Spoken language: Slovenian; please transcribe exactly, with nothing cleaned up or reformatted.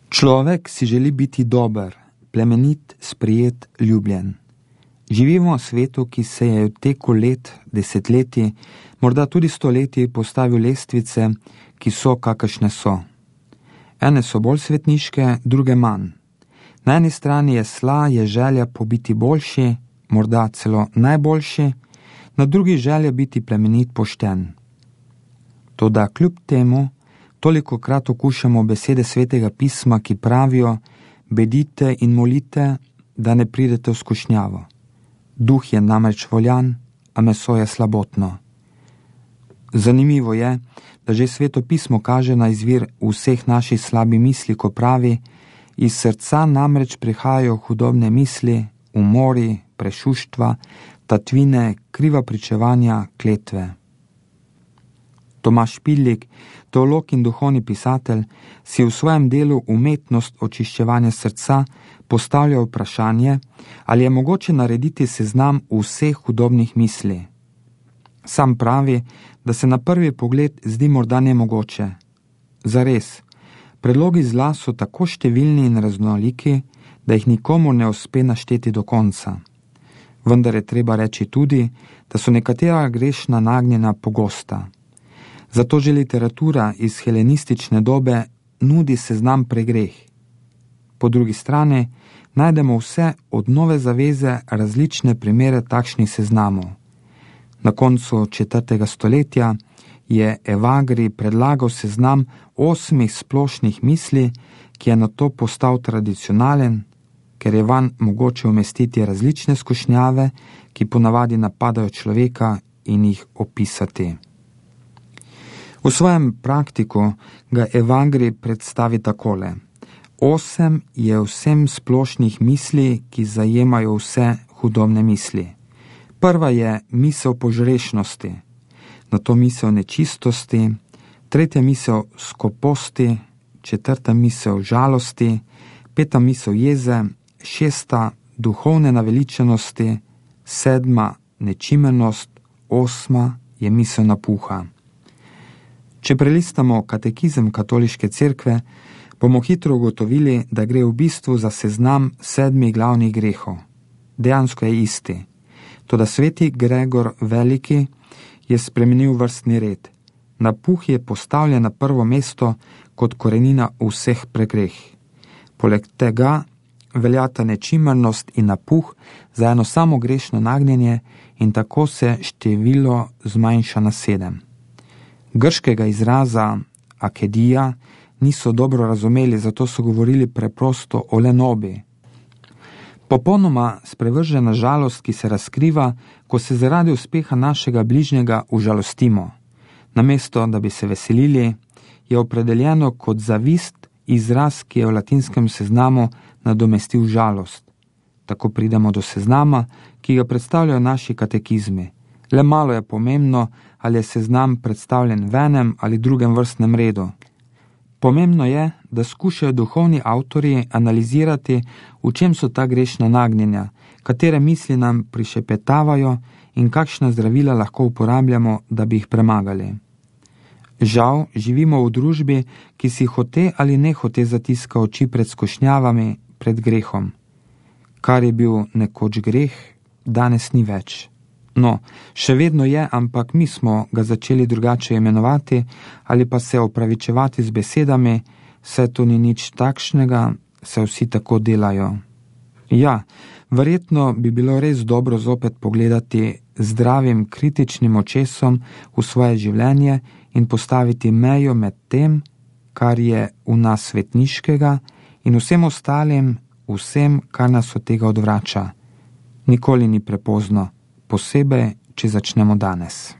Človek si želi biti dober, plemenit, sprijet, ljubljen. Živimo v svetu, ki se je v teku let, desetletij, morda tudi stoletij postavil lestvice, ki so, kakršne so. Ene so bolj svetniške, druge manj. Na eni strani je sla, je želja po biti boljši, morda celo najboljši, na drugi želja biti plemenit, pošten. Toda kljub temu, tolikokrat okušamo besede svetega pisma, ki pravijo: bedite in molite, da ne pridete v skušnjavo. Duh je namreč voljan, a meso je slabotno. Zanimivo je, da že sveto pismo kaže na izvir vseh naših slabih misli, ko pravi: iz srca namreč prihajajo hudobne misli, umori, prešuštva, tatvine, kriva pričevanja, kletve. Tomaž Špillik, teolog in duhovni pisatelj, si v svojem delu Umetnost očiščevanja srca postavlja vprašanje, ali je mogoče narediti seznam vseh hudobnih misli. Sam pravi, da se na prvi pogled zdi morda nemogoče. Zares, predlogi zla so tako številni in raznoliki, da jih nikomu ne uspe našteti do konca. Vendar je treba reči tudi, da so nekatera grešna nagnjena pogosta. Zato že literatura iz helenistične dobe nudi seznam pregreh. Po drugi strani najdemo vse od Nove zaveze različne primere takšnih seznamov. Na koncu četrtega stoletja je Evagri predlagal seznam osmih splošnih misli, ki je nato postal tradicionalen, ker je vanj mogoče umestiti različne skušnjave, ki ponavadi napadajo človeka, in jih opisati. V svojem praktiku ga Evagri predstavi takole: osem je vsem splošnih misli, ki zajemajo vse hudobne misli. Prva je misel požrešnosti, nato misel nečistosti, tretja misel skoposti, četrta misel žalosti, peta misel jeze, šesta duhovne naveličenosti, sedma nečimenost, osma je misel napuha. Če prelistamo katekizem katoliške cerkve, bomo hitro ugotovili, da gre v bistvu za seznam sedmih glavnih grehov. Dejansko je isti. Toda sveti Gregor Veliki je spremenil vrstni red. Napuh je postavljen na prvo mesto kot korenina vseh pregreh. Poleg tega veljata nečimrnost in napuh za eno samo grešno nagnjenje in tako se število zmanjša na sedem. Grškega izraza akedija niso dobro razumeli, zato so govorili preprosto o lenobi. Popolnoma sprevržena žalost, ki se razkriva, ko se zaradi uspeha našega bližnjega užalostimo. Namesto, da bi se veselili, je opredeljeno kot zavist izraz, ki je v latinskem seznamu nadomestil žalost. Tako pridemo do seznama, ki ga predstavljajo naši katekizmi. Le malo je pomembno, ali je seznam predstavljen v enem ali drugem vrstnem redu. Pomembno je, da skušajo duhovni avtorji analizirati, v čem so ta grešna nagnjenja, katere misli nam prišepetavajo in kakšna zdravila lahko uporabljamo, da bi jih premagali. Žal, živimo v družbi, ki si hote ali ne hote zatiska oči pred skušnjavami, pred grehom. Kar je bil nekoč greh, danes ni več. No, še vedno je, ampak mi smo ga začeli drugače imenovati ali pa se opravičevati z besedami: saj to ni nič takšnega, saj vsi tako delajo. Ja, verjetno bi bilo res dobro zopet pogledati zdravim kritičnim očesom v svoje življenje in postaviti mejo med tem, kar je v nas svetniškega, in vsem ostalim, vsem, kar nas od tega odvrača. Nikoli ni prepozno, posebej, če začnemo danes.